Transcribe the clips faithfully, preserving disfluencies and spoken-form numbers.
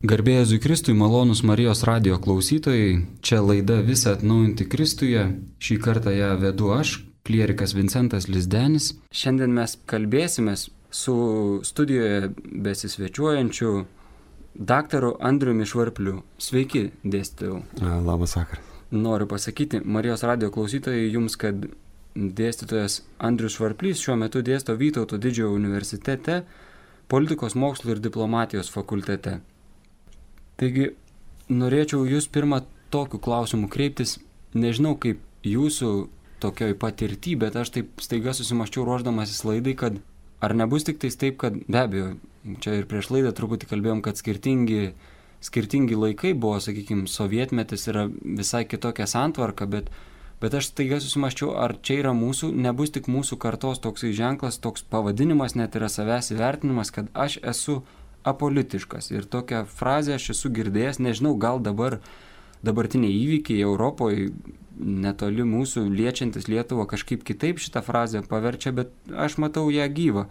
Garbė Jėzui Kristui, malonūs Marijos radijo klausytojai, čia laida Visa atnaujinti Kristuje, šį kartą ją vedu aš, klierikas Vincentas Lizdenis. Šiandien mes kalbėsimės su studijoje besisvečiuojančiu daktaru Andriumi Švarpliu. Sveiki, dėstytojau. Labas vakaras. Noriu pasakyti Marijos radijo klausytojai jums, kad dėstytojas Andrius Švarplys šiuo metu dėsto Vytauto Didžiojo universitete, politikos mokslų ir diplomatijos fakultete. Taigi, norėčiau jūs pirmą tokiu klausimu kreiptis, nežinau kaip jūsų tokioj patirty, bet aš taip staiga susimaščiau ruošdamasis laidai, kad ar nebus tik tais taip, kad be abejo, čia ir prieš laidą truputį kalbėjom, kad skirtingi, skirtingi laikai buvo, sakykime, sovietmetis yra visai kitokia santvarka, bet, bet aš staiga susimaščiau, ar čia yra mūsų, nebus tik mūsų kartos toksai ženklas, toks pavadinimas, net yra savęs įvertinimas, kad aš esu apolitiškas. Ir tokią frazę aš esu girdėjęs, nežinau, gal dabar dabartiniai įvykiai Europoje, netoli mūsų, liečiantis Lietuvą, kažkaip kitaip šitą frazę paverčia, bet aš matau ją gyvą,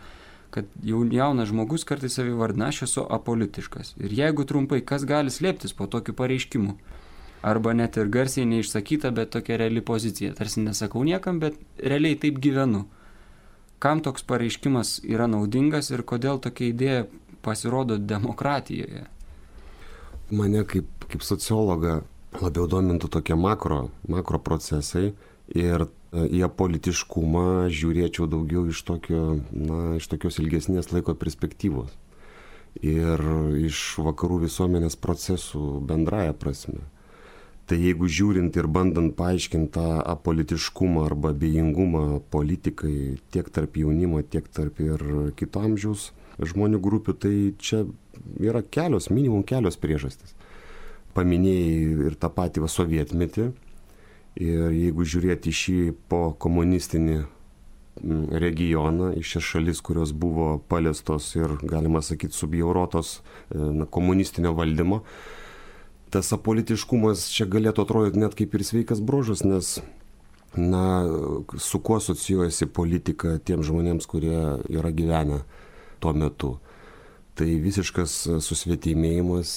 kad jau jaunas žmogus kartais savivardina, aš esu apolitiškas. Ir jeigu trumpai, kas gali slėptis po tokiu pareiškimu? Arba net ir garsiai neišsakyta, bet tokia reali pozicija. Tarsi nesakau niekam, bet realiai taip gyvenu. Kam toks pareiškimas yra naudingas ir kodėl tokia idėja pasirodo demokratijoje? Mane kaip, kaip sociologą labiau domintų tokie makro, makro procesai ir į apolitiškumą žiūrėčiau daugiau iš, tokio, na, iš tokios ilgesnės laiko perspektyvos ir iš vakarų visuomenės procesų bendraja prasme. Tai jeigu žiūrint ir bandant paaiškinti tą apolitiškumą arba abejingumą politikai tiek tarp jaunimo, tiek tarp ir kito amžiaus žmonių grupių, tai čia yra kelios, minimum kelios priežastys. Paminėjai ir tą patį va, sovietmetį, ir jeigu žiūrėti šį po komunistinį regioną, iš šias šalis, kurios buvo paliestos ir, galima sakyti, subjaurotos na, komunistinio valdymo, tas apolitiškumas čia galėtų atrodyti net kaip ir sveikas bruožas, nes na, su kuo asocijuojasi politika tiem žmonėms, kurie yra gyvenę tuo metu. Tai visiškas susvetimėjimas,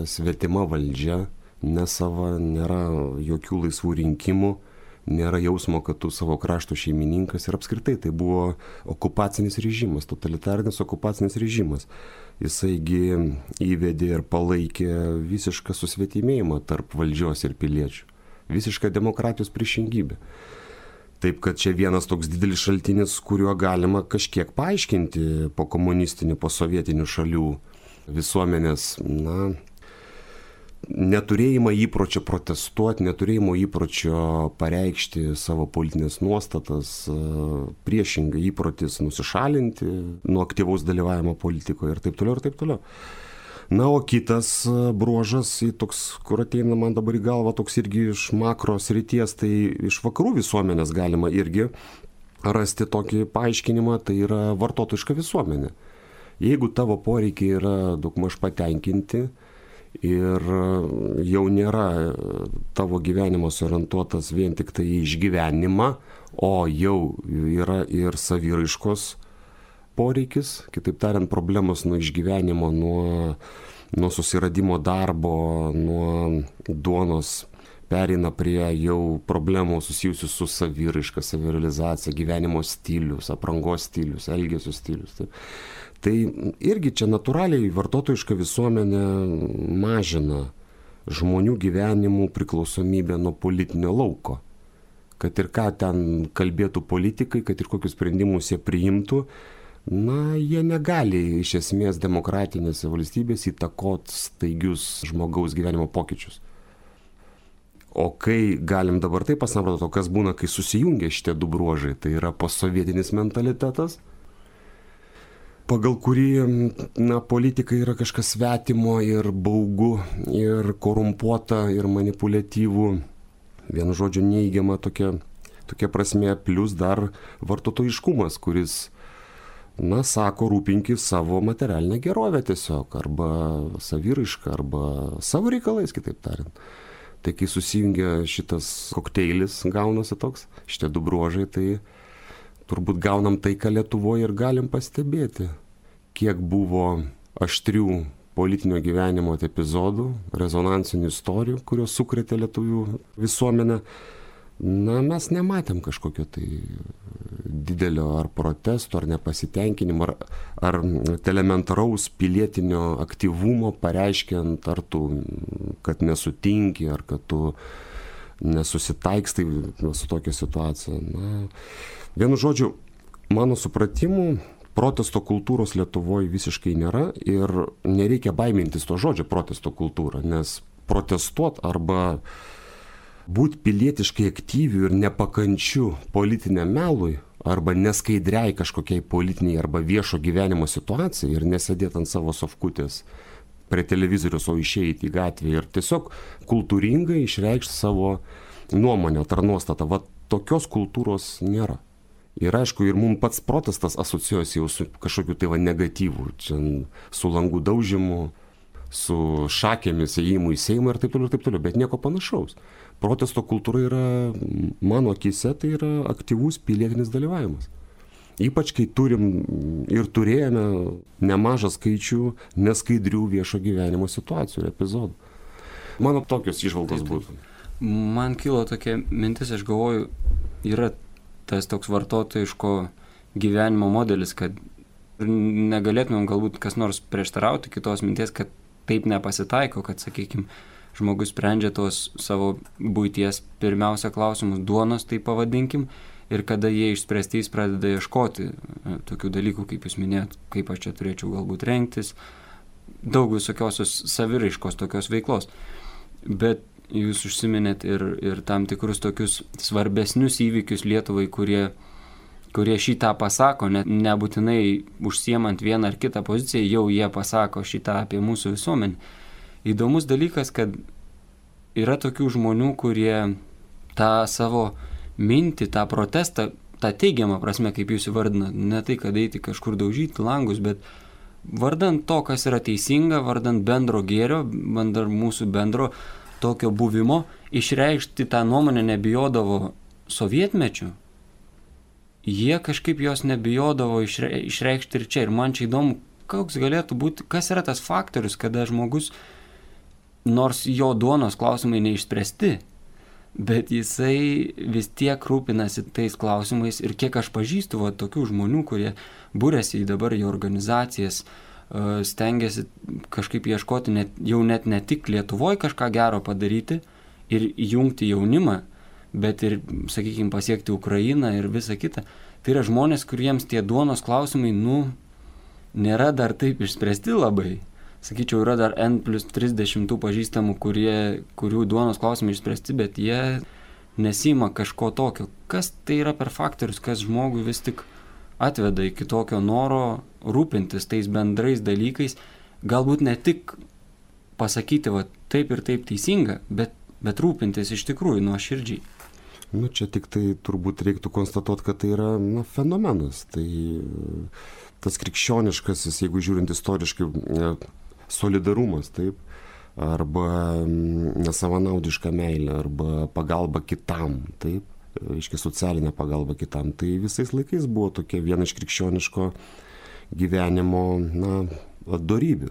svetima valdžia, nesava, nėra jokių laisvų rinkimų, nėra jausmo, kad tu savo krašto šeimininkas ir apskritai tai buvo okupacinis režimas, totalitarinis okupacinis režimas. Jisaigi įvedė ir palaikė visišką susvetimėjimą tarp valdžios ir piliečių. Visišką demokratijos priešingybę. Taip, kad čia vienas toks didelis šaltinis, kuriuo galima kažkiek paaiškinti po komunistinių, po sovietinių šalių visuomenės, na, neturėjimą įpročio protestuoti, neturėjimo įpročio pareikšti savo politinės nuostatas, priešingai įprotis nusišalinti nuo aktyvaus dalyvavimo politikoje ir taip toliau ir taip toliau. Na, o kitas bruožas, toks, kur ateina man dabar į galvą, toks irgi iš makro srities, tai iš vakarų visuomenės galima irgi rasti tokį paaiškinimą, tai yra vartotojiška visuomenė. Jeigu tavo poreikiai yra daugmaž patenkinti ir jau nėra tavo gyvenimas orientuotas vien tik tai į išgyvenimą, o jau yra ir saviraiškos poreikis, kitaip tariant, problemos nuo išgyvenimo, nuo, nuo susiradimo darbo, nuo duonos pereina prie jau problemų susijusių su saviraiška, savirealizacija, gyvenimo stilius, aprangos stilius, elgesio stilius. Tai, tai irgi čia natūraliai vartotojiška visuomenė mažina žmonių gyvenimų priklausomybę nuo politinio lauko. Kad ir ką ten kalbėtų politikai, kad ir kokius sprendimus jie priimtų, na, jie negali iš esmės demokratinėse valstybėse įtakoti staigius žmogaus gyvenimo pokyčius. O kai galim dabar taip pasamprotauti, o kas būna, kai susijungia šitie du bruožai, tai yra postsovietinis mentalitetas, pagal kurį, na, politika yra kažkas svetimo ir baugu, ir korumpuota, ir manipuliatyvų, vienu žodžiu neįgiama tokia, tokia prasme, plus dar vartotojiškumas, kuris, na, sako, rūpinkis savo materialinę gerovę tiesiog, arba saviraišką, arba savo reikalais, kitaip tariant. Tai kai susijungia šitas kokteilis, gaunasi toks, šitie du bruožai, tai turbūt gaunam tai, ką Lietuvoje ir galim pastebėti. Kiek buvo aštrių politinio gyvenimo epizodų, rezonansinių istorijų, kurios sukrėtė lietuvių visuomenę. Na, mes nematėm kažkokio tai didelio ar protesto, ar nepasitenkinimo, ar, ar elementaraus pilietinio aktyvumo pareiškiant, ar tu, kad nesutinki, ar kad tu nesusitaikstai su tokia situacija. Na, vienu žodžiu, mano supratimu, protesto kultūros Lietuvoje visiškai nėra ir nereikia baimintis to žodžio protesto kultūra, nes protestuot arba būti pilietiškai aktyviu ir nepakančiu politiniam melui arba neskaidriai kažkokiai politiniai arba viešo gyvenimo situacijai ir nesėdėti ant savo sofkutės prie televizorius, o išeiti į gatvę ir tiesiog kultūringai išreikšti savo nuomonę ar nuostatą. Va, tokios kultūros nėra. Ir aišku, ir mums pats protestas asocijuosi jau su kažkokiu tai va negatyvu, čia su langų daužimu, su šakėmis ėjimu į Seimą ir taip toliau, ir taip toliau, bet nieko panašaus. Protesto kultūra yra, mano akyse, tai yra aktyvus pilietinis dalyvavimas. Ypač kai turim ir turėjome nemažą skaičių neskaidrių viešo gyvenimo situacijų ir epizodų. Mano tokios įžvalgos būtų. Man kilo tokia mintis, aš galvoju, yra tas toks vartotojiško gyvenimo modelis, kad negalėtumėm galbūt kas nors prieštarauti kitos minties, kad taip nepasitaiko, kad, sakykime, žmogus sprendžia tos savo buities pirmiausia klausimus, duonos, tai pavadinkim, ir kada jie išspręsti, jis pradeda ieškoti tokių dalykų, kaip jūs minėjot, kaip aš čia turėčiau galbūt rengtis, daug visokiosios saviraiškos tokios veiklos. Bet jūs užsiminėt ir, ir tam tikrus tokius svarbesnius įvykius Lietuvai, kurie, kurie šitą pasako, net nebūtinai užsiemant vieną ar kitą poziciją, jau jie pasako šitą apie mūsų visuomenį. Įdomus dalykas, kad yra tokių žmonių, kurie tą savo mintį, tą protestą, tą teigiamą prasme, kaip jūs įvardinat, ne tai, kad eiti kažkur daužyti langus, bet vardant to, kas yra teisinga, vardant bendro gėrio, vardant mūsų bendro tokio buvimo, išreikšti tą nuomonę nebijodavo sovietmečių, jie kažkaip jos nebijodavo išre, išreikšti ir čia. Ir man čia įdomu, koks galėtų būti, kas yra tas faktorius, kada žmogus, nors jo duonos klausimai neišspręsti, bet jisai vis tiek rūpinasi tais klausimais ir kiek aš pažįstu va, tokių žmonių, kurie būrėsi į dabar į organizacijas, stengiasi kažkaip ieškoti net, jau net ne tik Lietuvoje kažką gero padaryti ir įjungti jaunimą, bet ir, sakykime, pasiekti Ukrainą ir visą kitą. Tai yra žmonės, kuriems tie duonos klausimai, nu, nėra dar taip išspręsti labai. Sakyčiau, yra dar N plus trisdešimt pažįstamų, kurie, kurių duonos klausimai išspręsti, bet jie nesima kažko tokio. Kas tai yra per faktorius, kas žmogui vis tik atveda iki tokio noro rūpintis tais bendrais dalykais, galbūt ne tik pasakyti, va, taip ir taip teisinga, bet, bet rūpintis iš tikrųjų nuoširdžiai. Nu, čia tik tai turbūt reiktų konstatuoti, kad tai yra na, fenomenas. Tai tas krikščioniškasis, jeigu žiūrint istoriškai, solidarumas, taip, arba nesavanaudiška meilė, arba pagalba kitam, taip, aiškiai socialinė pagalba kitam. Tai visais laikais buvo tokia viena iš krikščioniško gyvenimo, na, dorybių.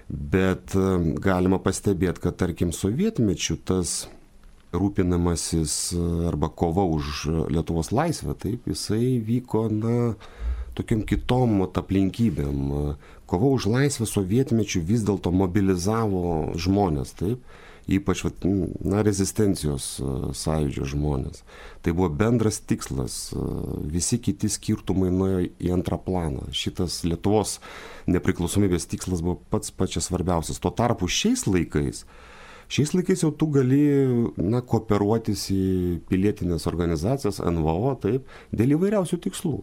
Bet galima pastebėti, kad tarkim sovietmečių tas rūpinamasis arba kova už Lietuvos laisvę, taip, jisai vyko, na, tokiam kitom aplinkybėm. Kova už laisvę sovietmečių vis dėlto mobilizavo žmonės, taip, ypač, na, rezistencijos sąjūdžio žmonės. Tai buvo bendras tikslas, visi kiti skirtumai nuėjo į antrą planą. Šitas Lietuvos nepriklausomybės tikslas buvo pats pačias svarbiausias. Tuo tarpu šiais laikais, šiais laikais jau tu gali, na, kooperuotis į pilietinės organizacijas, N V O, taip, dėl įvairiausių tikslų.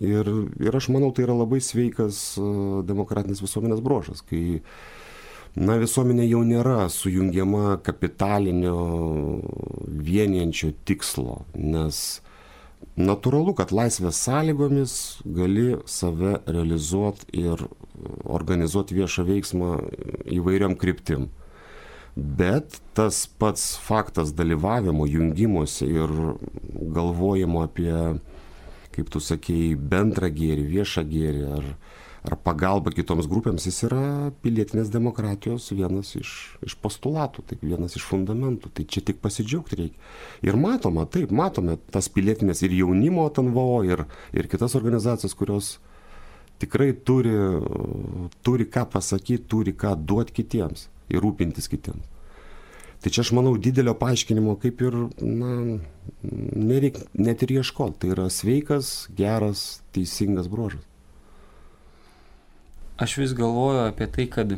Ir, ir aš manau, tai yra labai sveikas demokratinės visuomenės bruožas, kai na, visuomenė jau nėra sujungiama kapitalinio vienijančio tikslo, nes natūralu, kad laisvės sąlygomis gali save realizuoti ir organizuoti viešą veiksmą įvairiom kryptim. Bet tas pats faktas dalyvavimo, jungimosi ir galvojimo apie, kaip tu sakei, bendrą gėrį, viešą gėrį ar, ar pagalba kitoms grupėms, jis yra pilietinės demokratijos vienas iš, iš postulatų, taip, vienas iš fundamentų. Tai čia tik pasidžiaugti reikia. Ir matoma, taip, matome tas pilietinės ir jaunimo T N V O, ir, ir kitas organizacijas, kurios tikrai turi, turi ką pasakyti, turi ką duoti kitiems ir rūpintis kitiems. Tai čia aš manau didelio paaiškinimo kaip ir, na, nereik net ir ieškoti. Tai yra sveikas, geras, teisingas bruožas. Aš vis galvoju apie tai, kad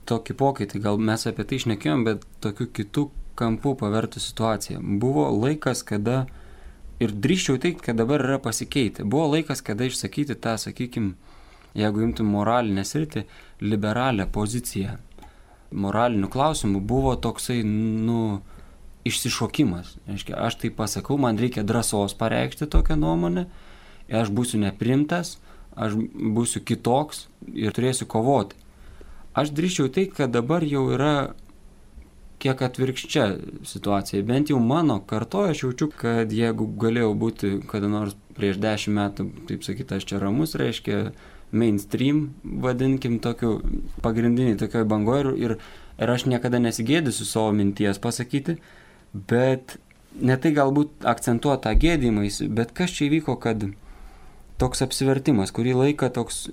tokį pokytį, gal mes apie tai šnekėjom, bet tokiu kitų kampų pavertų situaciją. Buvo laikas, kada, ir drįščiau teikti, kad dabar yra pasikeitę, buvo laikas, kada išsakyti tą, sakykime, jeigu imtum moralinę sritį, liberalią poziciją. Moralinių klausimų buvo toksai, nu, išsišokimas. Reiškia, aš tai pasakau, man reikia drąsos pareikšti tokią nuomonę, aš būsiu neprimtas, aš būsiu kitoks ir turėsiu kovoti. Aš drįščiau tai, kad dabar jau yra kiek atvirkščia situacija. Bent jau mano kartoje aš jaučiu, kad jeigu galėjau būti kada nors prieš dešimt metų, taip sakyti, aš čia ramus, reiškia mainstream, vadinkim, tokiu pagrindinį tokioj bangoje ir, ir aš niekada nesigėdysiu savo minties pasakyti, bet ne tai galbūt akcentuoti tą gėdymąsi, bet kas čia įvyko, kad toks apsivertimas, kurį laiką toks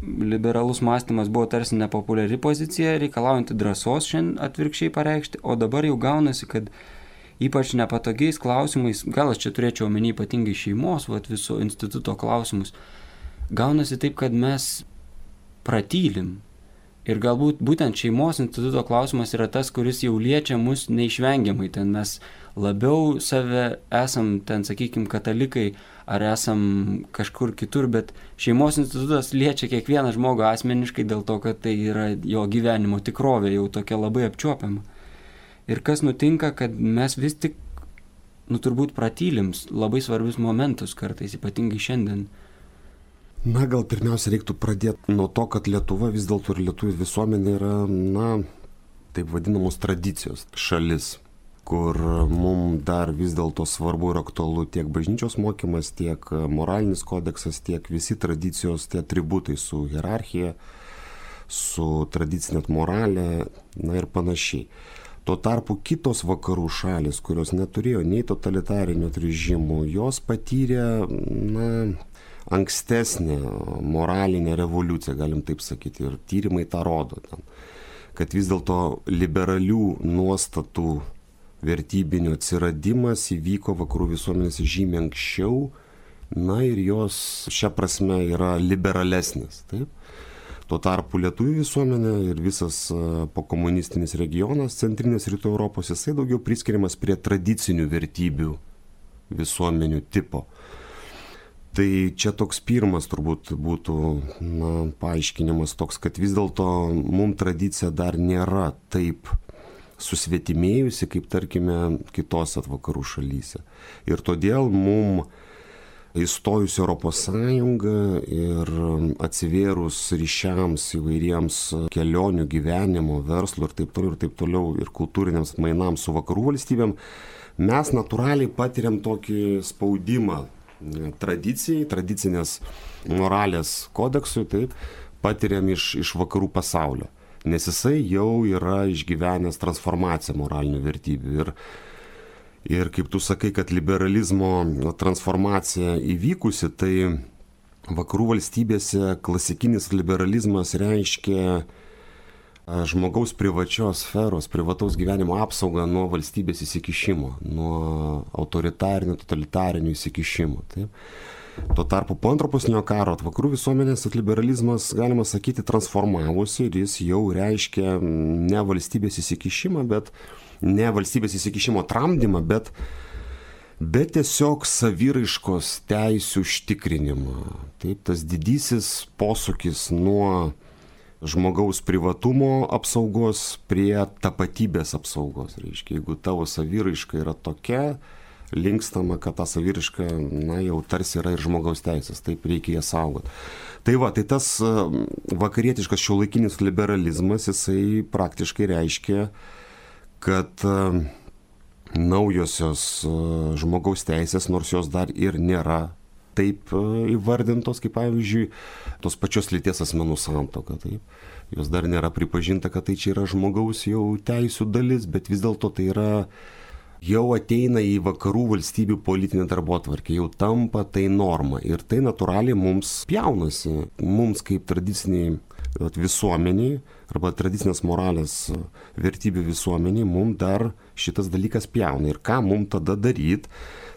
liberalus mąstymas buvo tarsi nepopuliari pozicija, reikalaujanti drąsos šiandien atvirkščiai pareikšti, o dabar jau gaunasi, kad ypač nepatogiais klausimais, gal aš čia turėčiau omeny ypatingai šeimos, vat, viso instituto klausimus, gaunasi taip, kad mes pratylim. Ir galbūt būtent šeimos instituto klausimas yra tas, kuris jau liečia mus neišvengiamai. Ten mes labiau save esam, ten sakykim, katalikai ar esam kažkur kitur, bet šeimos institutas liečia kiekvieną žmogų asmeniškai dėl to, kad tai yra jo gyvenimo tikrovė, jau tokia labai apčiuopiama. Ir kas nutinka, kad mes vis tik, nu turbūt pratylim labai svarbius momentus kartais, ypatingai šiandien. Na, gal pirmiausia reiktų pradėti nuo to, kad Lietuva vis dėlto ir lietuvių visuomenė yra, na, taip vadinamos tradicijos šalis, kur mums dar vis dėlto svarbu ir aktualu tiek bažnyčios mokymas, tiek moralinis kodeksas, tiek visi tradicijos, tie atributai su hierarchija, su tradicinė moralė, na ir panašiai. Tuo tarpu kitos vakarų šalis, kurios neturėjo nei totalitarinio režimų, jos patyrė, na, ankstesnė moralinė revoliucija, galim taip sakyti, ir tyrimai tą rodo, ten, kad vis dėlto liberalių nuostatų vertybinio atsiradimas įvyko vakarų visuomenės žymiai anksčiau, na ir jos šia prasme yra liberalesnės. Taip? Tuo tarpu lietuvių visuomenė ir visas pokomunistinis regionas, centrinės rytų Europos, jisai daugiau priskiriamas prie tradicinių vertybių visuomenių tipo. Tai čia toks pirmas turbūt būtų, na, paaiškinimas toks, kad vis dėlto mums tradicija dar nėra taip susvetimėjusi, kaip tarkime kitose vakarų šalyse. Ir todėl mums įstojus Europos Sąjungą ir atsivėrus ryšiams įvairiems kelionių, gyvenimo, verslo ir taip toliau ir taip toliau ir kultūriniams mainams su vakarų valstybėm, mes natūraliai patiriam tokį spaudimą tradicijai, tradicinės moralės kodeksui, taip, patiriam iš, iš vakarų pasaulio, nes jisai jau yra išgyvenęs transformaciją moralinių vertybių. Ir, ir kaip tu sakai, kad liberalizmo transformacija įvykusi, tai vakarų valstybėse klasikinis liberalizmas reiškia žmogaus privačios sferos, privataus gyvenimo apsaugą nuo valstybės įsikišimo, nuo autoritarinių, totalitarinių įsikišimų. Taip. Tuo tarpu po antro pasaulinio karo vakarų visuomenės liberalizmas, galima sakyti, transformavosi ir jis jau reiškia ne valstybės įsikišimą, bet ne valstybės įsikišimo tramdymą, bet, bet tiesiog saviraiškos teisių užtikrinimą. Taip, tas didysis posūkis nuo žmogaus privatumo apsaugos prie tapatybės apsaugos. Reiškia, jeigu tavo saviraiška yra tokia, linkstama, kad ta saviraiška, na, jau tarsi yra ir žmogaus teisės, taip reikia ją saugoti. Tai va, tai tas vakarietiškas šiuolaikinis liberalizmas, jisai praktiškai reiškia, kad naujosios žmogaus teisės, nors jos dar ir nėra taip įvardintos, kaip pavyzdžiui, tos pačios lyties asmenų santuoka. Taip. Jos dar nėra pripažinta, kad tai čia yra žmogaus jau teisų dalis, bet vis dėlto tai yra, jau ateina į vakarų valstybių politinę darbotvarkę, jau tampa tai norma. Ir tai natūraliai mums pjaunasi, mums kaip tradiciniai visuomeniai arba tradicinės moralės vertybių visuomeniai, mums dar šitas dalykas pjauna. Ir ką mums tada daryti?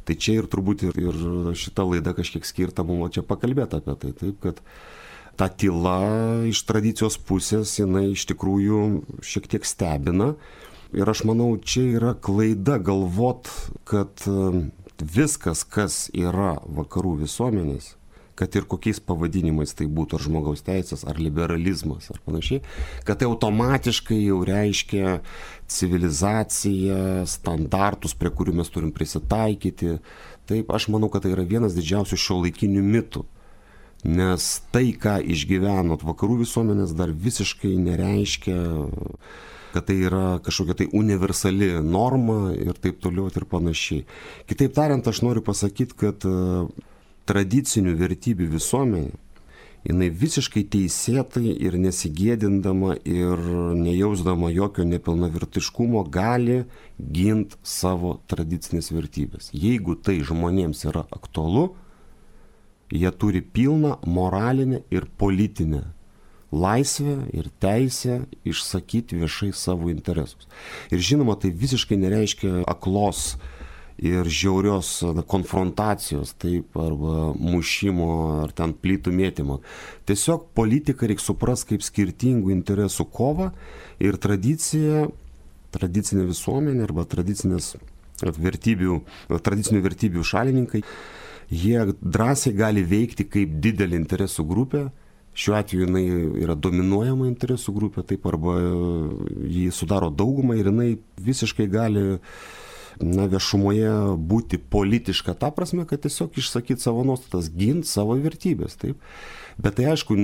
Tai čia ir turbūt ir, ir šita laida kažkiek skirta mums čia pakalbėti apie tai. Taip, kad ta tyla iš tradicijos pusės, jinai iš tikrųjų šiek tiek stebina. Ir aš manau, čia yra klaida galvot, kad viskas, kas yra vakarų visuomenės, kad ir kokiais pavadinimais tai būtų, ar žmogaus teisės, ar liberalizmas, ar panašiai, kad tai automatiškai jau reiškia civilizaciją, standartus, prie kurių mes turim prisitaikyti. Taip, aš manau, kad tai yra vienas didžiausių šiuolaikinių mitų. Nes tai, ką išgyvenot vakarų visuomenės, dar visiškai nereiškia, kad tai yra kažkokia tai universali norma ir taip toliau ir panašiai. Kitaip tariant, aš noriu pasakyti, kad tradicinių vertybių visuomenė, jinai visiškai teisėtai ir nesigėdindama ir nejausdama jokio nepilnavertiškumo gali ginti savo tradicinės vertybės. Jeigu tai žmonėms yra aktualu, jie turi pilną moralinę ir politinę laisvę ir teisę išsakyti viešai savo interesus. Ir žinoma, tai visiškai nereiškia aklos ir žiaurios konfrontacijos, taip, arba mušimo, ar ten plytų mėtymo. Tiesiog politiką reikia suprasti kaip skirtingų interesų kovą ir tradicija, tradicinė visuomenė arba tradicinės vertybių, tradicinių vertybių šalininkai, jie drąsiai gali veikti kaip didelį interesų grupę. Šiuo atveju jinai yra dominuojama interesų grupė, taip, arba jį sudaro daugumą ir jinai visiškai gali na, viešumoje būti politiška, ta prasme, kad tiesiog išsakyti savo nuostatas, ginti savo vertybės, taip. Bet tai aišku,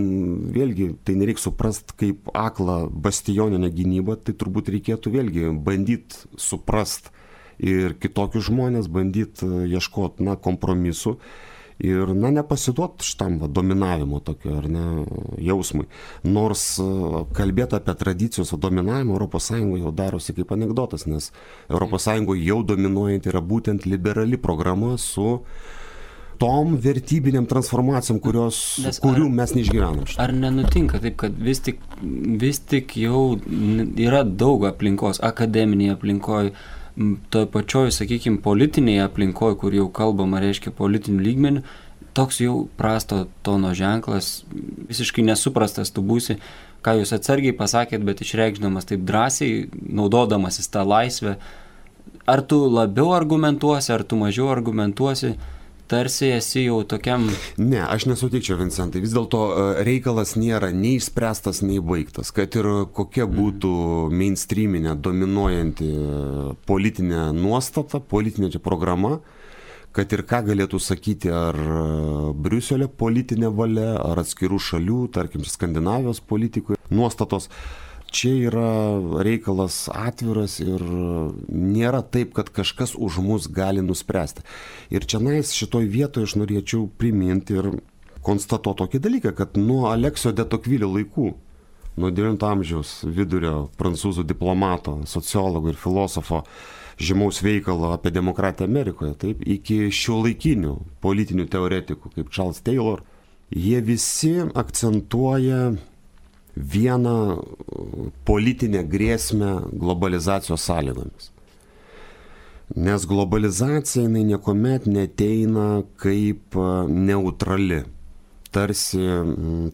vėlgi, tai nereikia suprasti kaip aklą bastioninę gynybą, tai turbūt reikėtų vėlgi bandyti suprasti ir kitokius žmonės, bandyti ieškoti, na, kompromisų ir, na, nepasiduoti šitam va, dominavimo tokio, ar ne, jausmui. Nors kalbėti apie tradicijos dominavimą Europos Sąjungoje jau darosi kaip anekdotas, nes Europos Sąjungoje jau dominuojanti yra būtent liberali programa su tom vertybiniam transformacijom, kurios, Nes kurių ar, mes neišgyvenam. Ar nenutinka taip, kad vis tik, vis tik jau yra daug aplinkos, akademinėje aplinkoje, toj pačioj, sakykime, politinėje aplinkoje, kur jau kalbama, reiškia politinių lygmenių, toks jau prasto tono ženklas, visiškai nesuprastas tu būsi, ką jūs atsargiai pasakėt, bet išreikšdamas taip drąsiai, naudodamasis tą laisvę. Ar tu labiau argumentuosi, ar tu mažiau argumentuosi, tarsi esi jau tokiam... Ne, aš nesutikčiau, Vincentai. Vis dėlto reikalas nėra nei išspręstas, nei baigtas. Kad ir kokia būtų mainstreaminė, dominuojanti politinė nuostata, politinė čia programa, kad ir ką galėtų sakyti ar Briuselio politinė valia, ar atskirų šalių, tarkim, Skandinavijos politikų nuostatos, čia yra reikalas atviras ir nėra taip, kad kažkas už mus gali nuspręsti. Ir čia nais šitoj vietoje aš norėčiau priminti ir konstatuoti tokį dalyką, kad nuo Aleksio de Tocqueville laikų, nuo devyniolikto amžiaus vidurio prancūzų diplomato, sociologo ir filosofo žymaus veikalo apie demokratiją Amerikoje, taip, iki šiuolaikinių politinių teoretikų kaip Charles Taylor, jie visi akcentuoja vieną politinę grėsmę globalizacijos sąlygomis. Nes globalizacija jinai niekuomet neteina kaip neutrali, tarsi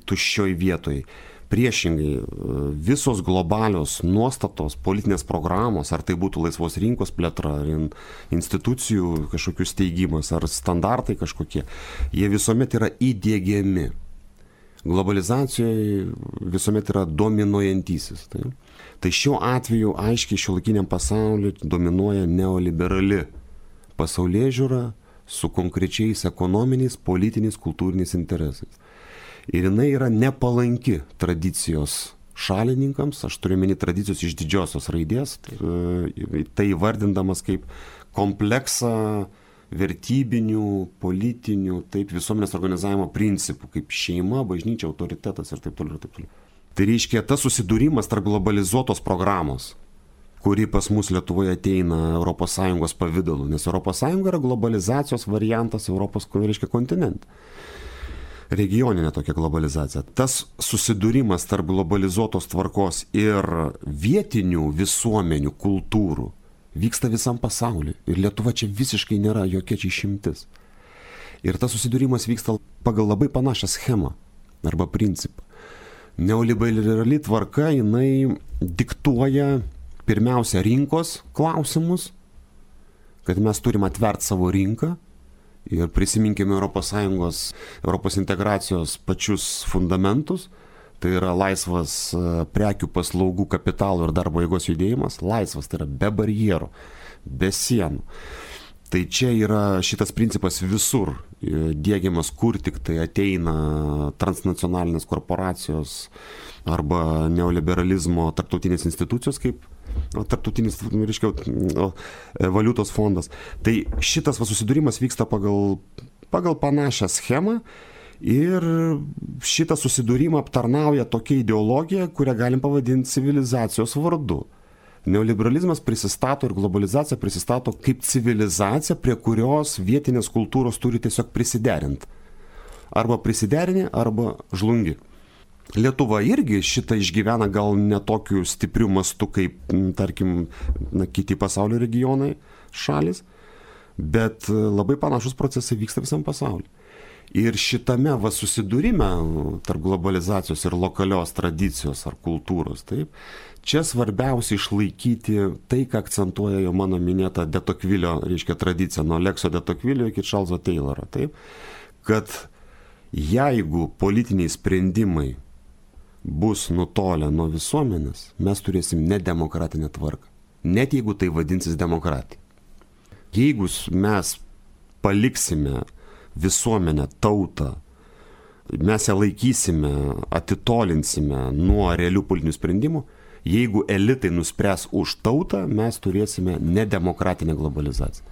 tuščioj vietoj. Priešingai, visos globalios nuostatos, politinės programos, ar tai būtų laisvos rinkos plėtra, ar institucijų kažkokių steigimas, ar standartai kažkokie, jie visuomet yra įdiegiami. Globalizacijoje visuomet yra dominuojantysis. Tai, tai šiuo atveju aiškiai šiuolaikiniam pasauliu dominuoja neoliberali pasaulėžiūra su konkrečiais ekonominiais, politiniais, kultūriniais interesais. Ir jinai yra nepalanki tradicijos šalininkams, aš turiu meni tradicijos iš didžiosios raidės, tai, tai vardindamas kaip kompleksą vertybinių, politinių, taip, visuomenės organizavimo principų, kaip šeima, bažnyčia, autoritetas ir taip toliau ir taip toliau. Tai reiškia, tas susidūrimas tarp globalizuotos programos, kuri pas mus Lietuvoje ateina Europos Sąjungos pavidalu, nes Europos Sąjunga yra globalizacijos variantas Europos, reiškia, kontinente. Regioninė tokia globalizacija. Tas susidūrimas tarp globalizuotos tvarkos ir vietinių visuomenių, kultūrų vyksta visam pasauliu. Ir Lietuva čia visiškai nėra jokia čia išimtis. Ir tas susidūrimas vyksta pagal labai panašią schemą arba principą. Neoliberali tvarka, jinai diktuoja pirmiausia rinkos klausimus, kad mes turim atvert savo rinką. Ir prisiminkime Europos Sąjungos, Europos integracijos pačius fundamentus, tai yra laisvas prekių, paslaugų, kapitalo ir darbo jėgos judėjimas, laisvas, tai yra be barjerų, be sienų. Tai čia yra šitas principas visur diegiamas, kur tik tai ateina transnacionalinės korporacijos arba neoliberalizmo tarptautinės institucijos, kaip tarptautinis, reiškia, valiutos fondas. Tai šitas va, susidūrimas vyksta pagal, pagal panašią schemą ir šitą susidūrimą aptarnauja tokia ideologija, kurią galim pavadinti civilizacijos vardu. Neoliberalizmas prisistato ir globalizacija prisistato kaip civilizacija, prie kurios vietinės kultūros turi tiesiog prisiderinti. Arba prisiderini, arba žlungi. Lietuva irgi šitą išgyvena gal ne tokiu stipriu mastu kaip, tarkim, na, kiti pasaulio regionai, šalis, bet labai panašus procesai vyksta visam pasauliu. Ir šitame va susidūrime tarp globalizacijos ir lokalios tradicijos ar kultūros, taip, čia svarbiausia išlaikyti tai, ką akcentuoja jau mano minėta de Tocqueville'o, reiškia, tradicija, nuo Alexio de Tocqueville'o iki Charleso Tayloro, taip, kad jeigu politiniai sprendimai bus nutolę nuo visuomenės, mes turėsim nedemokratinę tvarką. Net jeigu tai vadinsis demokratija. Jeigu mes paliksime visuomenę, tautą, mes ją laikysime, atitolinsime nuo realių politinių sprendimų, jeigu elitai nuspręs už tautą, mes turėsime nedemokratinę globalizaciją.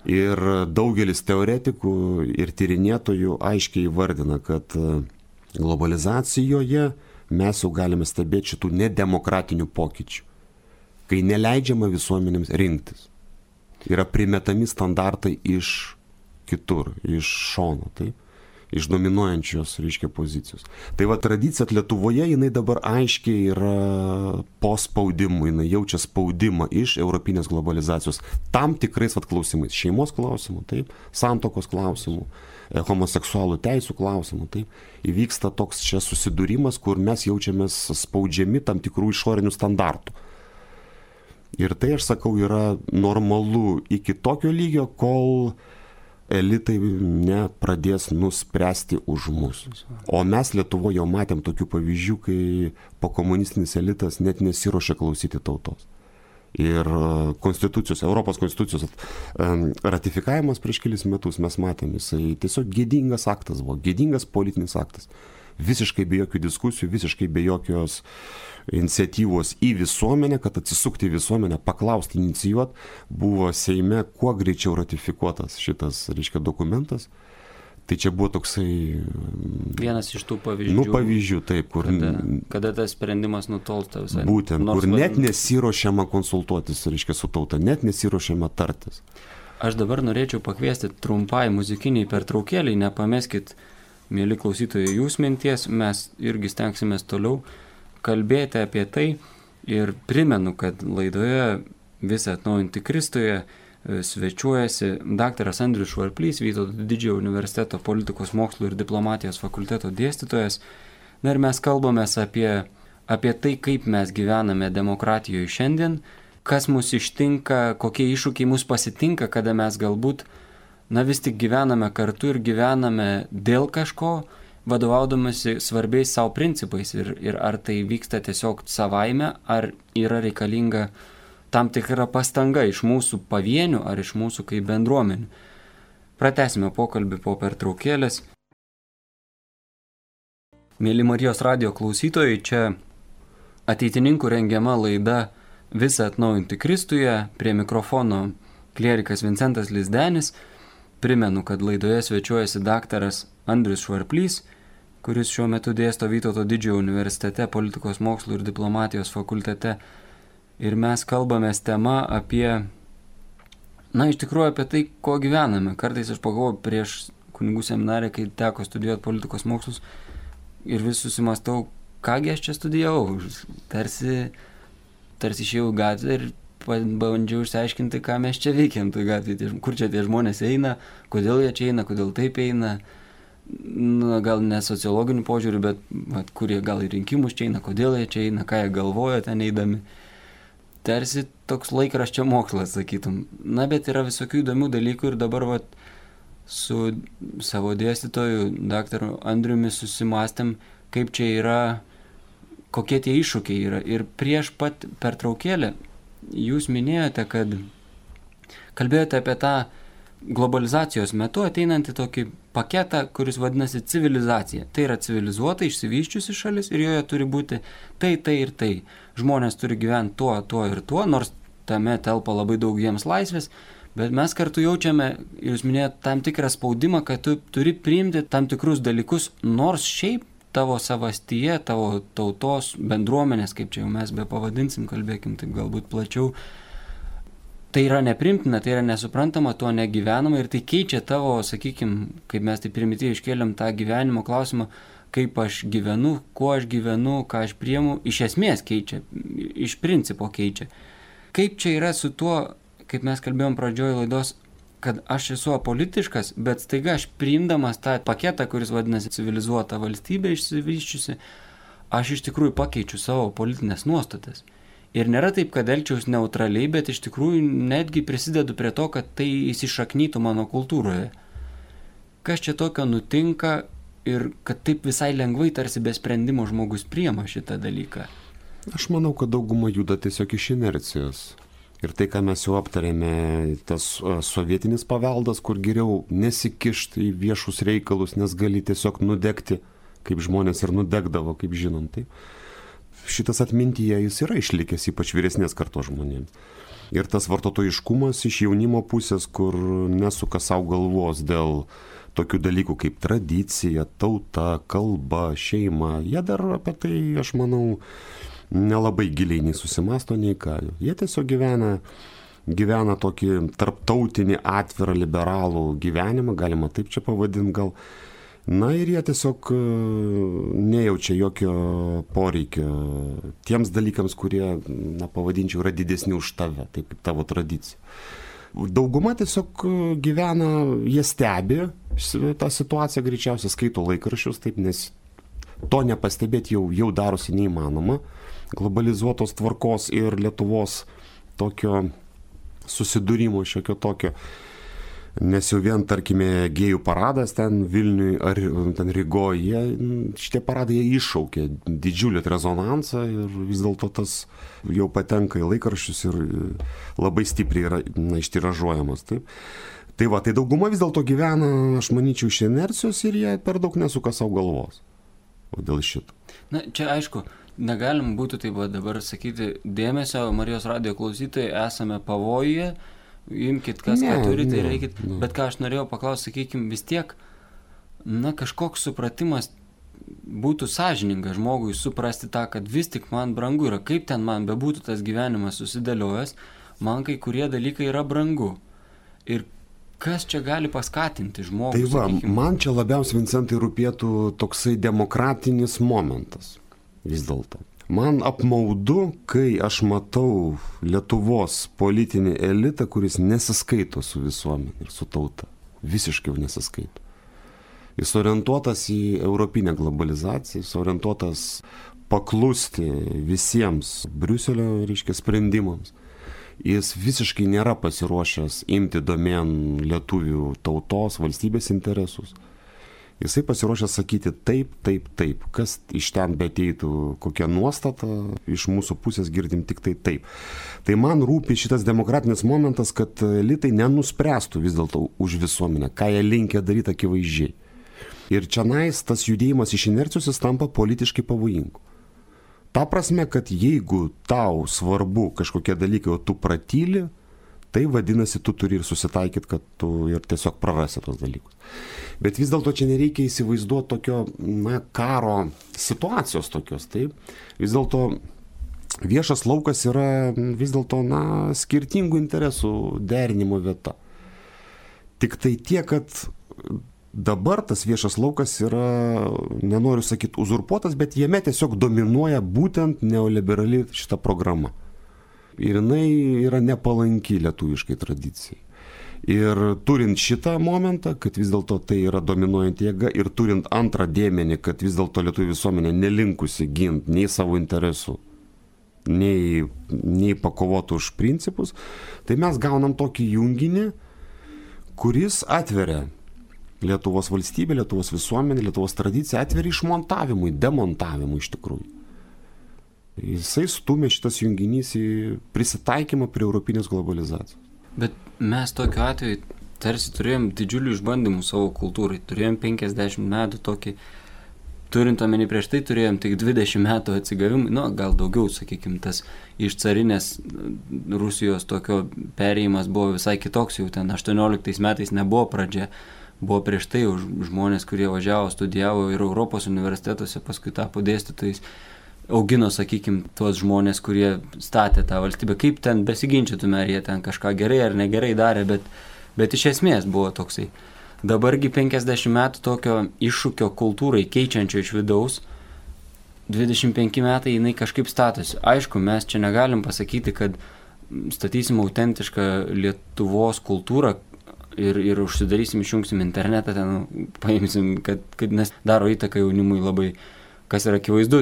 Ir daugelis teoretikų ir tyrinėtojų aiškiai įvardina, kad globalizacijoje mes jau galime stebėti šitų nedemokratinių pokyčių, kai neleidžiama visuomenėms rinktis. Yra primetami standartai iš kitur, iš šono, taip, iš dominuojančios, reiškia, pozicijos. Tai va tradicija Lietuvoje, jinai dabar aiškiai yra po spaudimu, jinai jaučia spaudimą iš europinės globalizacijos tam tikrais vat klausimais, šeimos klausimų, taip, santokos klausimų, homoseksualų teisų klausimų, taip, įvyksta toks čia susidūrimas, kur mes jaučiamės spaudžiami tam tikrų išorinių standartų. Ir tai, aš sakau, yra normalu iki tokio lygio, kol elitai nepradės nuspręsti už mus. O mes Lietuvoje jau matėm tokių pavyzdžių, kai pokomunistinis elitas net nesiruošia klausyti tautos. Ir konstitucijos, Europos konstitucijos ratifikavimas prieš kelis metus mes matėm, jisai tiesiog gėdingas aktas buvo, gėdingas politinis aktas. Visiškai be jokių diskusijų, visiškai be jokios iniciatyvos į visuomenę, kad atsisukti į visuomenę, paklausti, inicijuoti, buvo Seime kuo greičiau ratifikuotas šitas, reiškia, dokumentas. Tai čia buvo toksai... Vienas iš tų pavyzdžių. Nu, pavyzdžių, taip, kur... Kada, kada tas sprendimas nutolsta visai. Būtent, nors kur net nesiruošiama konsultuotis, reiškia, su tauta, net nesiruošiama tartis. Aš dabar norėčiau pakviesti trumpai muzikiniai pertraukėliai, nepameskit, mėly klausytojai, jūs minties, mes irgi stengsimės toliau kalbėti apie tai ir primenu, kad laidoje Visą atnaujinti Kristuje svečiuojasi daktaras Andrius Švarplys, Vytauto Didžiojo universiteto politikos mokslų ir diplomatijos fakulteto dėstytojas. Na ir mes kalbamės apie, apie tai, kaip mes gyvename demokratijoje šiandien, kas mus ištinka, kokie iššūkiai mus pasitinka, kada mes galbūt, na vis tik gyvename kartu ir gyvename dėl kažko, vadovaudamasi svarbiais savo principais ir, ir ar tai vyksta tiesiog savaime, ar yra reikalinga tam tikra pastanga iš mūsų pavienių ar iš mūsų kaip bendruomenių. Pratęsime pokalbį po pertraukėlės. Mėly Marijos radijo klausytojai, čia ateitininkų rengiama laida Visą atnaujinti Kristuje, prie mikrofono klierikas Vincentas Lizdenis. Primenu, kad laidoje svečiuojasi daktaras Andrius Švarplys, kuris šiuo metu dėsto Vytauto didžiojo universitete politikos mokslų ir diplomatijos fakultete. Ir mes kalbamės tema apie, na, iš tikrųjų apie tai, ko gyvename. Kartais aš pagalvoju prieš kunigų seminarę, kai teko studijuoti politikos mokslus ir vis susimastau, kągi aš čia studijavau. Tarsi, tarsi išėjau į gatvę ir bandžiau išsiaiškinti, ką mes čia veikiam toj gatvėje, kur čia tie žmonės eina, kodėl jie čia eina, kodėl taip eina. Na, gal ne sociologinių požiūrių, bet vat, kurie gal į rinkimus čia eina, kodėl jie čia eina, ką jie galvoja ten eidami. Tarsi toks laikraščio mokslas, sakytum. Na, bet yra visokių įdomių dalykų ir dabar vat, su savo dėstytoju, daktaru Andriumi, susimastėm, kaip čia yra, kokie tie iššūkiai yra. Ir prieš pat pertraukėlę jūs minėjote, kad kalbėjote apie tą globalizacijos metu ateinantį tokį paketą, kuris vadinasi civilizacija. Tai yra civilizuota, išsivyščiusi šalis ir joje turi būti tai, tai ir tai. Žmonės turi gyventi tuo, tuo ir tuo, nors tame telpa labai daug jiems laisvės, bet mes kartu jaučiame, jūs minėjote, tam tikrą spaudimą, kad tu turi priimti tam tikrus dalykus, nors šiaip tavo savastyje, tavo tautos bendruomenės, kaip čia jau mes be pavadinsim, kalbėkim taip galbūt plačiau, tai yra neprimtina, tai yra nesuprantama, tuo negyvenama ir tai keičia tavo, sakykime, kaip mes tai primityviai iškėlėm tą gyvenimo klausimą, kaip aš gyvenu, kuo aš gyvenu, ką aš priimu, iš esmės keičia, iš principo keičia. Kaip čia yra su tuo, kaip mes kalbėjom pradžioje laidos, kad aš esu apolitiškas, bet staiga aš priimdamas tą paketą, kuris vadinasi civilizuota valstybė išsivyščiusi, aš iš tikrųjų pakeičiu savo politinės nuostatas. Ir nėra taip, kad elgčiaus neutraliai, bet iš tikrųjų netgi prisidedu prie to, kad tai įsišaknytų mano kultūroje. Kas čia tokio nutinka ir kad taip visai lengvai tarsi be sprendimo žmogus priima šitą dalyką? Aš manau, kad dauguma juda tiesiog iš inercijos. Ir tai, ką mes jau aptarėme, tas sovietinis paveldas, kur geriau nesikišti į viešus reikalus, nes gali tiesiog nudegti, kaip žmonės ir nudegdavo, kaip žinom. Tai šitas atmintyje jis yra išlikęs, ypač vyresnės kartos žmonėms. Ir tas vartotojiškumas iš jaunimo pusės, kur nesuka savo galvos dėl tokių dalykų kaip tradicija, tauta, kalba, šeima, jie dar apie tai, aš manau, nelabai giliai nei susimasto, nei ką. Jie tiesiog gyvena, gyvena tokį tarptautinį, atvirą, liberalų gyvenimą, galima taip čia pavadinti gal. Na ir jie tiesiog nejaučia jokio poreikio tiems dalykams, kurie, na, pavadinčiau, yra didesni už tave, taip kaip tavo tradicija. Dauguma tiesiog gyvena, jie stebi tą situaciją, greičiausiai skaito laikraščius, taip, nes to nepastebėti jau, jau darosi neįmanoma. Globalizuotos tvarkos ir Lietuvos tokio susidūrimo šiokio tokio, nes jau vien, tarkime, gėjų paradas ten Vilniui ar ten Rygoje, šitie paradai jie iššaukė didžiulį rezonansą ir vis dėlto tas jau patenka į laikraščius ir labai stipriai yra, na, ištiražuojamas. Taip. Tai va, tai dauguma vis dėlto gyvena, aš manyčiau, iš inercijos ir jie per daug nesuka savo galvos. O dėl šito. Na, čia aišku, negalim būtų taip dabar sakyti, dėmesio Marijos radijo klausytojai, esame pavojuje, imkite kas, ne, ką turite, ne, reikit. Ne. Bet ką aš norėjau paklausti, sakykime, vis tiek, na, kažkoks supratimas būtų sąžininga žmogui suprasti tą, kad vis tik man brangu yra, kaip ten man bebūtų tas gyvenimas susidėliojęs, man kai kurie dalykai yra brangu. Ir kas čia gali paskatinti žmogų? Tai va, sakykime, man čia labiausiai, Vincentai, rūpėtų toksai demokratinis momentas vis dėlto. Man apmaudu, kai aš matau Lietuvos politinį elitą, kuris nesiskaito su visuomenė ir su tauta. Visiškai jau nesiskaito. Jis orientuotas į europinę globalizaciją, jis orientuotas paklusti visiems Briuselio, reiškia, sprendimams. Jis visiškai nėra pasiruošęs imti domėn lietuvių tautos, valstybės interesus. Jisai pasiruošęs sakyti taip, taip, taip. Kas iš ten beteitų, kokia nuostata, iš mūsų pusės girdim tik tai taip. Tai man rūpi šitas demokratinis momentas, kad elitai nenuspręstų vis dėlto už visuomenę, ką jie linkia daryti akivaizdžiai. Ir čionais tas judėjimas iš inercijos jis tampa politiškai pavojingu. Ta prasme, kad jeigu tau svarbu kažkokie dalykai, o tu pratyli, tai vadinasi, tu turi ir susitaikyti, kad tu ir tiesiog prarasi tos dalykus. Bet vis dėlto čia nereikia įsivaizduoti tokio, na, karo situacijos tokios, taip. Vis dėlto viešas laukas yra vis dėlto, na, skirtingų interesų derinimo vieta. Tik tai tiek, kad dabar tas viešas laukas yra, nenoriu sakyti uzurpuotas, bet jame tiesiog dominuoja būtent neoliberali šita programa. Ir jinai yra nepalanki lietuviškai tradicijai. Ir turint šitą momentą, kad vis dėlto tai yra dominuojant jėga, ir turint antrą dėmenį, kad vis dėlto lietuvių visuomenė nelinkusi ginti nei savo interesų, nei, nei pakovotų už principus, tai mes gaunam tokį junginį, kuris atveria Lietuvos valstybė, Lietuvos visuomenė, Lietuvos tradicija, atveria išmontavimui, demontavimui iš tikrųjų. Jisai stumia šitas junginys į prisitaikymą prie europinės globalizacijos. Bet mes tokiu atveju tarsi turėjom didžiulių išbandymų savo kultūrai. Turėjom penkiasdešimt metų tokį, turint omeny prieš tai turėjom tik dvidešimt metų atsigavimų, nu gal daugiau, sakykime, tas iš carinės Rusijos tokio perėjimas buvo visai kitoks, jau ten aštuonioliktais metais nebuvo pradžia, buvo prieš tai žmonės, kurie važiavo, studijavo ir Europos universitetuose, paskui tapo dėstytojais, augino, sakykime, tuos žmonės, kurie statė tą valstybę. Kaip ten besiginčytume, ar jie ten kažką gerai ar negerai darė, bet, bet iš esmės buvo toksai. Dabargi penkiasdešimt metų tokio iššūkio kultūrai keičiančio iš vidaus, dvidešimt penki metai jinai kažkaip statosi. Aišku, mes čia negalim pasakyti, kad statysim autentišką Lietuvos kultūrą ir, ir užsidarysim, išjungsim internetą, ten paimsim, kad, kad nes daro įtaką jaunimui labai. Kas yra akivaizdu,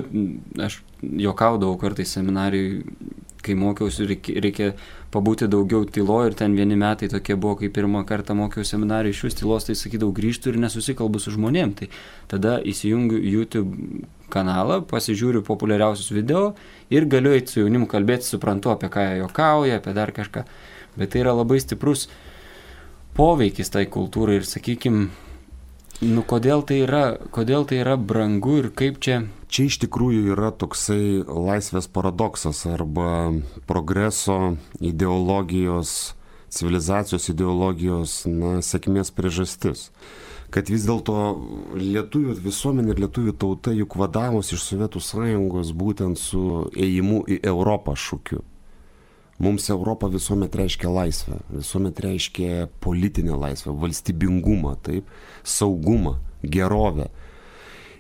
aš juokaudavau kartais seminarijui, kai mokiausi, reikia, reikia pabūti daugiau tylo, ir ten vieni metai tokie buvo, kai pirmą kartą mokiausi seminarijui iš vis tylos, tai sakydavau, grįžtu ir nesusikalbu su žmonėm. Tai tada įsijungiu YouTube kanalą, pasižiūriu populiariausius video ir galiu eiti su jaunimu kalbėti, suprantu, apie ką jie juokauja, apie dar kažką. Bet tai yra labai stiprus poveikis tai kultūrai ir, sakykime, nu, kodėl tai yra, kodėl tai yra brangu ir kaip čia? Čia iš tikrųjų yra toksai laisvės paradoksas arba progreso ideologijos, civilizacijos ideologijos, na, sėkmės priežastis. Kad vis dėlto lietuvių visuomenė ir lietuvių tauta juk vadavos iš Sovietų Sąjungos būtent su ėjimu į Europą šūkiu. Mums Europa visuomet reiškia laisvę, visuomet reiškia politinę laisvę, valstybingumą, taip, saugumą, gerovę.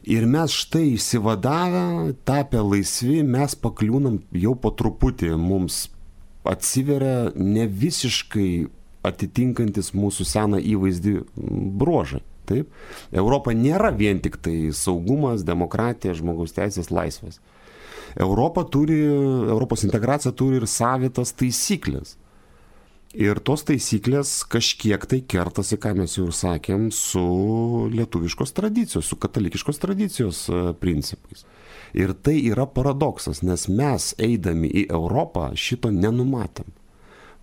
Ir mes štai įsivadavę, tapę laisvi, mes pakliūnam jau po truputį, mums atsiveria ne visiškai atitinkantis mūsų seną įvaizdį bruožai. Taip? Europa nėra vien tik tai saugumas, demokratija, žmogaus teisės, laisvės. Europa turi, Europos integracija turi ir savitas taisyklės. Ir tos taisyklės kažkiek tai kertasi, ką mes jau ir sakėm, su lietuviškos tradicijos, su katalikiškos tradicijos principais. Ir tai yra paradoksas, nes mes, eidami į Europą, šito nenumatėm.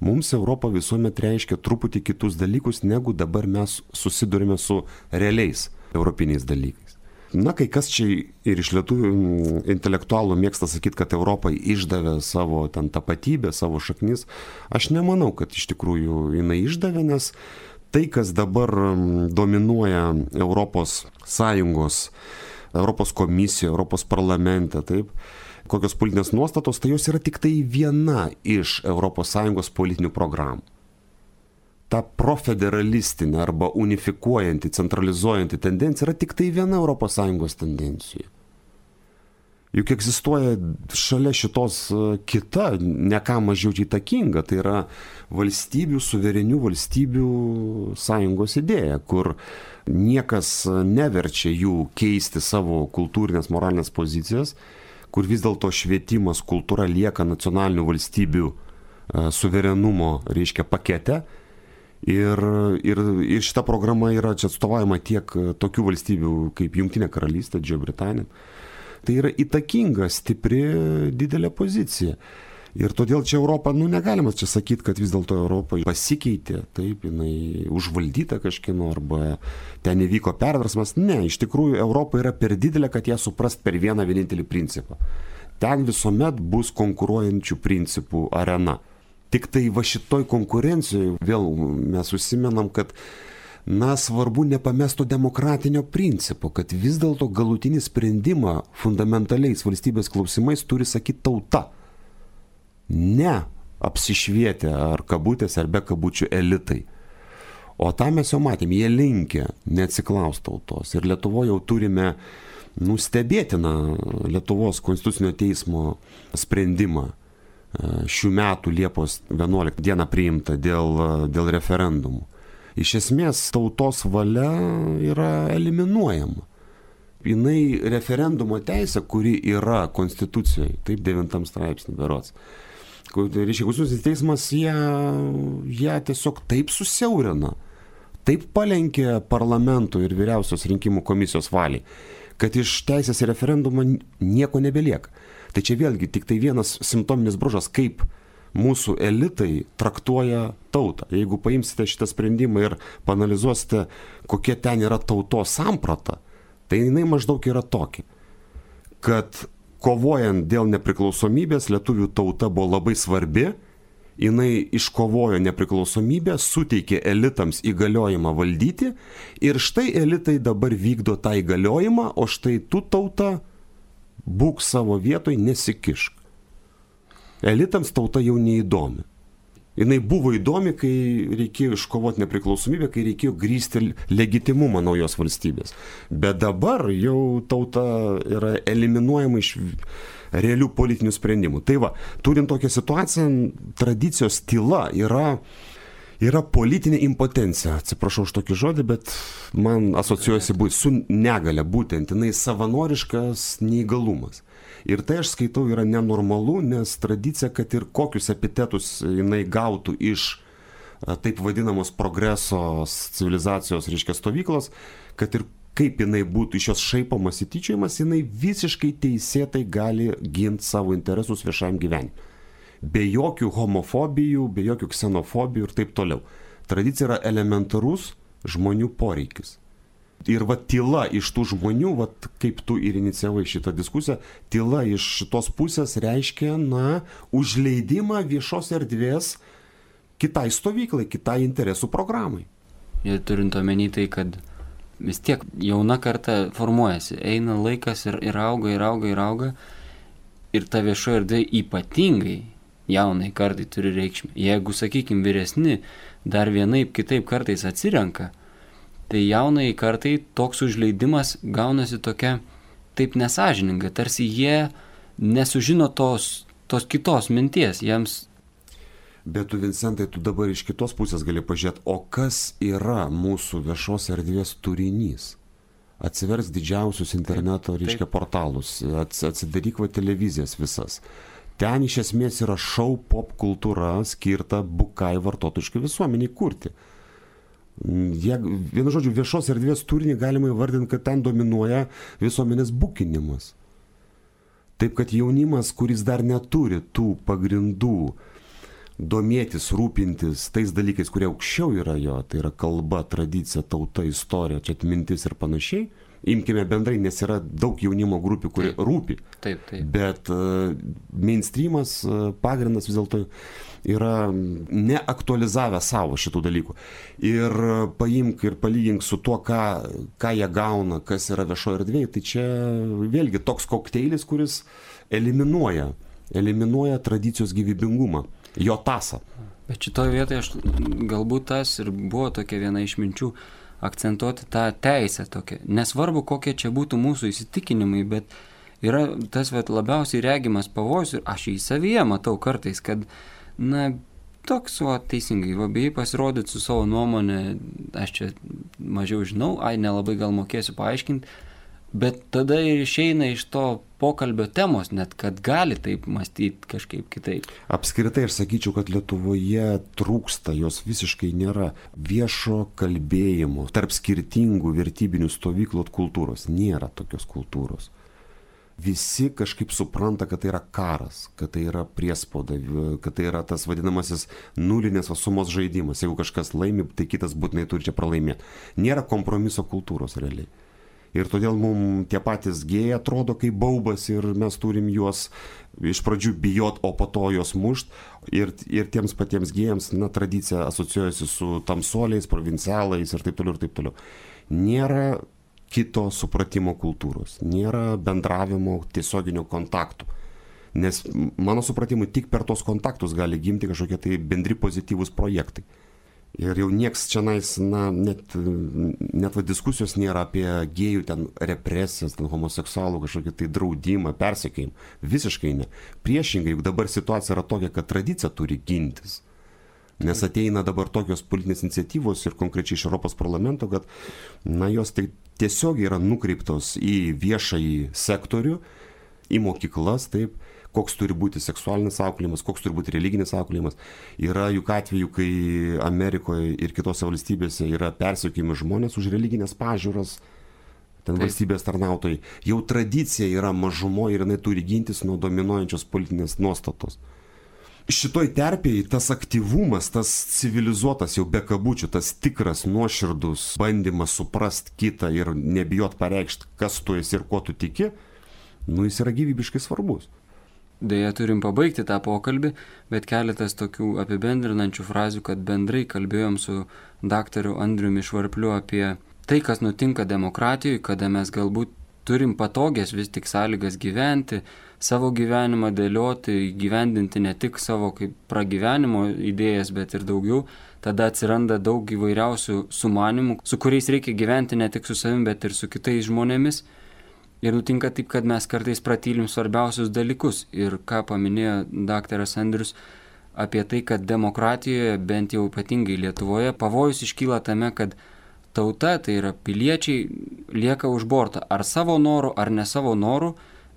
Mums Europa visuomet reiškia truputį kitus dalykus, negu dabar mes susidurime su realiais europiniais dalykais. Na, kai kas čia ir iš lietuvių intelektualų mėgsta sakyti, kad Europai išdavė savo ten tapatybę, savo šaknis. Aš nemanau, kad iš tikrųjų jinai išdavė, nes tai, kas dabar dominuoja Europos Sąjungos, Europos komisijoje, Europos parlamente, taip, kokios politinės nuostatos, tai jos yra tik tai viena iš Europos Sąjungos politinių programų. Ta profederalistinė arba unifikuojanti, centralizuojanti tendencija yra tik tai viena Europos Sąjungos tendencija. Juk egzistuoja šalia šitos kita, ne ką mažiau įtakinga, tai yra valstybių, suverenių valstybių sąjungos idėja, kur niekas neverčia jų keisti savo kultūrinės, moralinės pozicijas, kur vis dėlto švietimas, kultūra lieka nacionalinių valstybių suverenumo, reiškia, pakete. Ir, ir, ir šita programa yra čia atstovaujama tiek tokių valstybių kaip Jungtinė karalystė, Didžioji Britanija. Tai yra įtakinga, stipri, didelė pozicija. Ir todėl čia Europa, nu negalima čia sakyti, kad vis dėlto Europa pasikeitė, taip, jinai užvaldyta kažkieno arba ten įvyko perversmas. Ne, iš tikrųjų Europa yra per didelė, kad ją suprast per vieną vienintelį principą. Ten visuomet bus konkuruojančių principų arena. Tik tai va šitoj konkurencijoje vėl mes užsimenam, kad na, svarbu nepamestų demokratinio principo, kad vis dėlto galutinį sprendimą fundamentaliais valstybės klausimais turi sakyti tauta. Ne apsišvietę ar kabutės ar be kabučių elitai. O tą mes jau matėm, jie linkia neatsiklaust tautos. Ir Lietuvoje jau turime nustebėtiną Lietuvos konstitucinio teismo sprendimą šių metų Liepos vienuoliktą dieną priimta dėl, dėl referendumų. Iš esmės tautos valia yra eliminuojama. Jinai referendumo teisė, kuri yra konstitucijoje, taip devintam straipsnį berods. Reiškia, konstitucinis teismas ją, ją tiesiog taip susiaurina, taip palenkė parlamento ir vyriausios rinkimų komisijos valiai, kad iš teisės į referendumą nieko nebelieka. Tai čia vėlgi tik tai vienas simptominis bruožas, kaip mūsų elitai traktuoja tautą. Jeigu paimsite šitą sprendimą ir paanalizuosite, kokia ten yra tautos samprata, tai jinai maždaug yra tokia, kad kovojant dėl nepriklausomybės lietuvių tauta buvo labai svarbi, jinai iškovojo nepriklausomybę, suteikė elitams įgaliojimą valdyti ir štai elitai dabar vykdo tą įgaliojimą, o štai tu tauta būk savo vietoj, nesikišk. Elitams tauta jau neįdomi. Jinai buvo įdomi, kai reikėjo iškovoti nepriklausomybę, kai reikėjo grįsti legitimumą naujos valstybės. Bet dabar jau tauta yra eliminuojama iš realių politinių sprendimų. Tai va, turint tokią situaciją, tradicijos tyla yra, yra politinė impotencija. Atsiprašau už tokį žodį, bet man asocijuojasi su negale, būtent jinai savanoriškas neįgalumas. Ir tai aš skaitau yra nenormalu, nes tradicija, kad ir kokius epitetus jinai gautų iš taip vadinamos progreso civilizacijos, reiškia, stovyklos, kad ir kaip jinai būtų iš jos šaipamas įtyčiojimas, jinai visiškai teisėtai gali ginti savo interesus viešajam gyvenimui. Be jokių homofobijų, be jokių ksenofobijų ir taip toliau. Tradicija yra elementarus žmonių poreikis. Ir va tyla iš tų žmonių, va kaip tu ir inicijavai šitą diskusiją, tyla iš šitos pusės reiškia, na, užleidimą viešos erdvės kitai stovyklai, kitai interesų programai. Ir turint omeny tai, kad vis tiek jauna karta formuojasi, eina laikas ir, ir auga, ir auga, ir auga, ir ta viešo erdvė ypatingai jaunai kartai turi reikšmę. Jeigu, sakykime, vyresni dar vienaip kitaip kartais atsirenka, tai jaunai kartai toks užleidimas gaunasi tokia taip nesažininga, tarsi jie nesužino tos, tos kitos minties, jiems. Bet tu, Vincentai, tu dabar iš kitos pusės gali pažiūrėti, o kas yra mūsų viešos erdvės turinys? Atsivers didžiausius interneto, reiškia, portalus, atsidaryk va televizijas visas. Ten iš esmės yra šou pop kultūra skirta bukai vartotojiškai visuomeniai kurti. Jie, vienu žodžiu, viešos erdvės turinį galima įvardinti, kad ten dominuoja visuomenės bukinimas. Taip, kad jaunimas, kuris dar neturi tų pagrindų domėtis, rūpintis tais dalykais, kurie aukščiau yra jo, tai yra kalba, tradicija, tauta, istorija, čia atmintis ir panašiai, imkime bendrai, nes yra daug jaunimo grupių, kurie taip, rūpi. Taip, taip. Bet uh, mainstreamas, uh, pagrindas vis dėlto yra neaktualizavę savo šitų dalykų. Ir paimk ir palygink su tuo, ką, ką jie gauna, kas yra viešoje erdvėje, tai čia vėlgi toks kokteilis, kuris eliminuoja, eliminuoja tradicijos gyvybingumą, jo tasą. Bet šitoje vietoje aš galbūt tas ir buvo tokia viena iš minčių, akcentuoti tą teisę tokią. Nesvarbu, kokie čia būtų mūsų įsitikinimai, bet yra tas vat, labiausiai regimas pavojus ir aš jį savyje matau kartais, kad na, toks, o teisingai, va, bijai pasirodyti su savo nuomonė, aš čia mažiau žinau, ai, nelabai gal mokėsiu paaiškinti, bet tada ir išeina iš to pokalbio temos, net kad gali taip mąstyti kažkaip kitaip. Apskritai aš sakyčiau, kad Lietuvoje trūksta, jos visiškai nėra viešo kalbėjimo tarp skirtingų vertybinių stovyklų kultūros. Nėra tokios kultūros. Visi kažkaip supranta, kad tai yra karas, kad tai yra priespauda, kad tai yra tas vadinamasis nulinės sumos žaidimas. Jeigu kažkas laimi, tai kitas būtinai turi čia pralaimėti. Nėra kompromiso kultūros realiai. Ir todėl mums tie patys gėjai atrodo kaip baubas ir mes turim juos iš pradžių bijot, o po to juos mušt. Ir, ir tiems patiems gėjams, na, tradicija asocijuojasi su tamsuoliais, provincialais ir taip toliau ir taip toliau. Nėra kito supratimo kultūros, nėra bendravimo tiesioginio kontaktų. Nes mano supratimu, tik per tos kontaktus gali gimti kažkokie tai bendri pozityvūs projektai. Ir jau nieks čia nais, na, net, net va, diskusijos nėra apie gėjų ten represijas, ten homoseksualų kažkokį tai draudimą, persekiojimą. Visiškai ne. Priešingai, juk dabar situacija yra tokia, kad tradicija turi gintis. Nes ateina dabar tokios politinės iniciatyvos ir konkrečiai iš Europos parlamento, kad, na, jos tai tiesiog yra nukreiptos į viešąjį sektorių, į mokyklas, taip, koks turi būti seksualinis auklėjimas, koks turi būti religinis auklėjimas. Yra juk atveju, kai Amerikoje ir kitose valstybėse yra persekiojami žmonės už religinės pažiūras, ten Taip. Valstybės tarnautojai. Jau tradicija yra mažumoje ir jinai turi gintis nuo dominuojančios politinės nuostatos. Šitoj terpėje tas aktyvumas, tas civilizuotas jau be kabučių, tas tikras nuoširdus bandymas suprast kitą ir nebijot pareikšti, kas tu esi ir kuo tu tiki, nu jis yra gyvybiškai svarbus. Deja, turim pabaigti tą pokalbį, bet keletas tokių apibendrinančių frazių, kad bendrai kalbėjom su daktaru Andriumi Švarpliu apie tai, kas nutinka demokratijoje, kada mes galbūt turim patogias vis tik sąlygas gyventi, savo gyvenimą dėlioti, gyvendinti ne tik savo kaip pragyvenimo idėjas, bet ir daugiau. Tada atsiranda daug įvairiausių sumanimų, su kuriais reikia gyventi ne tik su savimi, bet ir su kitais žmonėmis. Ir nutinka taip, kad mes kartais pratylim svarbiausius dalykus. Ir ką paminėjo daktaras Andrius apie tai, kad demokratijoje, bent jau ypatingai Lietuvoje, pavojus iškyla tame, kad tauta, tai yra piliečiai, lieka už borto. Ar savo norų, ar ne savo norų,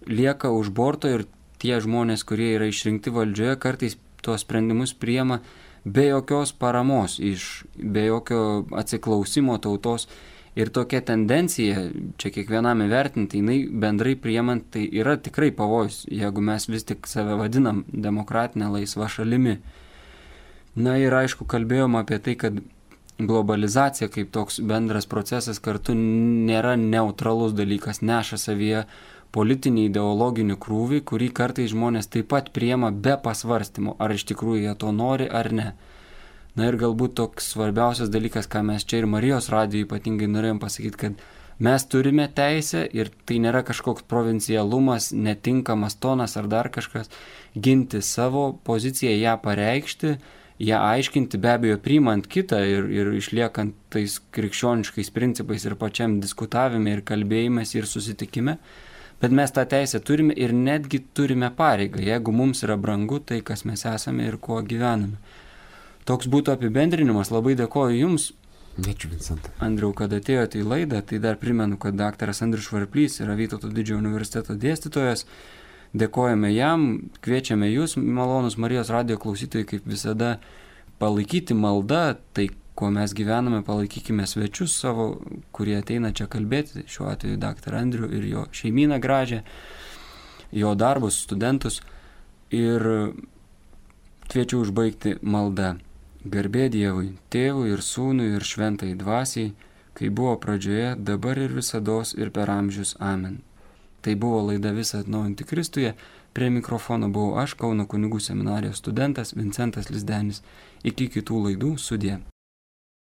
lieka už borto ir tie žmonės, kurie yra išrinkti valdžioje, kartais tuos sprendimus priima be jokios paramos, iš, be jokio atsiklausimo tautos. Ir tokia tendencija, čia kiekvienam įvertinti, jinai bendrai priimant, tai yra tikrai pavojus, jeigu mes vis tik save vadinam demokratinę laisvą šalimi. Na ir aišku, kalbėjom apie tai, kad globalizacija kaip toks bendras procesas kartu nėra neutralus dalykas, neša savyje politinį ideologinį krūvį, kurį kartais žmonės taip pat priima be pasvarstymų, ar iš tikrųjų jie to nori ar ne. Na ir galbūt toks svarbiausias dalykas, ką mes čia ir Marijos radijo ypatingai norėjom pasakyti, kad mes turime teisę ir tai nėra kažkoks provincialumas, netinkamas tonas ar dar kažkas, ginti savo poziciją, ją pareikšti, ją aiškinti, be abejo priimant kitą ir, ir išliekant tais krikščioniškais principais ir pačiam diskutavime ir kalbėjimės ir susitikime. Bet mes tą teisę turime ir netgi turime pareigą, jeigu mums yra brangu tai, kas mes esame ir kuo gyvename. Toks būtų apibendrinimas. Labai dėkoju Jums, Ačiū, Vincentai. Andriau, kad atėjote į laidą. Tai dar primenu, kad daktaras Andrius Švarplys yra Vytauto didžiojo universiteto dėstytojas. Dėkojame jam, kviečiame Jūs, malonus Marijos radijo klausytojai, kaip visada palaikyti maldą, tai, kuo mes gyvename, palaikykime svečius savo, kurie ateina čia kalbėti, šiuo atveju daktarą Andrių ir jo šeimyną gražią, jo darbus, studentus. Ir kviečiu užbaigti maldą. Garbė Dievui, Tėvui ir Sūnui ir Šventai Dvasiai, kai buvo pradžioje, dabar ir visados ir per amžius. Amen. Tai buvo laida Visa atnaujinti Kristuje. Prie mikrofono buvau aš, Kauno kunigų seminarijos studentas Vincentas Lizdenis. Iki kitų laidų, sudie.